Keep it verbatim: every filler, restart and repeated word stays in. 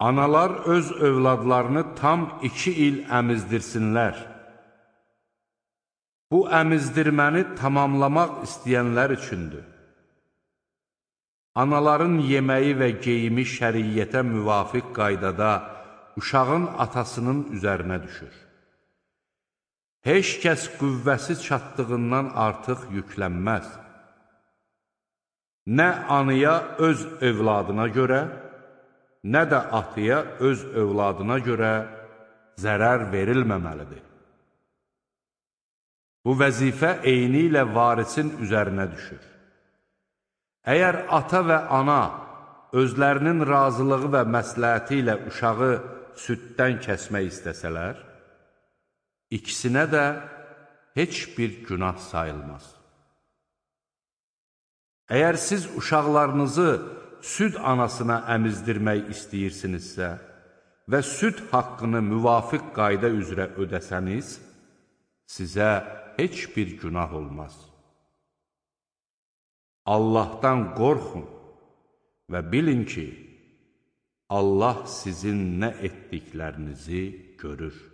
Analar öz övladlarını tam iki il əmizdirsinlər. Bu əmizdirməni tamamlamaq istəyənlər üçündür. Anaların yeməyi və geyimi şəriyyətə müvafiq qaydada uşağın atasının üzərinə düşür. Heç kəs qüvvəsi çatdığından artıq yüklənməz. Nə anıya öz övladına görə, nə də atıya öz övladına görə zərər verilməməlidir. Bu vəzifə eyni ilə varisin üzərinə düşür. Əgər ata və ana özlərinin razılığı və məsləhəti ilə uşağı süddən kəsmək istəsələr, ikisinə də heç bir günah sayılmaz. Əgər siz uşaqlarınızı süd anasına əmizdirmək istəyirsinizsə və süd haqqını müvafiq qayda üzrə ödəsəniz, sizə heç bir günah olmaz. Allahdan qorxun və bilin ki, Allah sizin nə etdiklərinizi görür.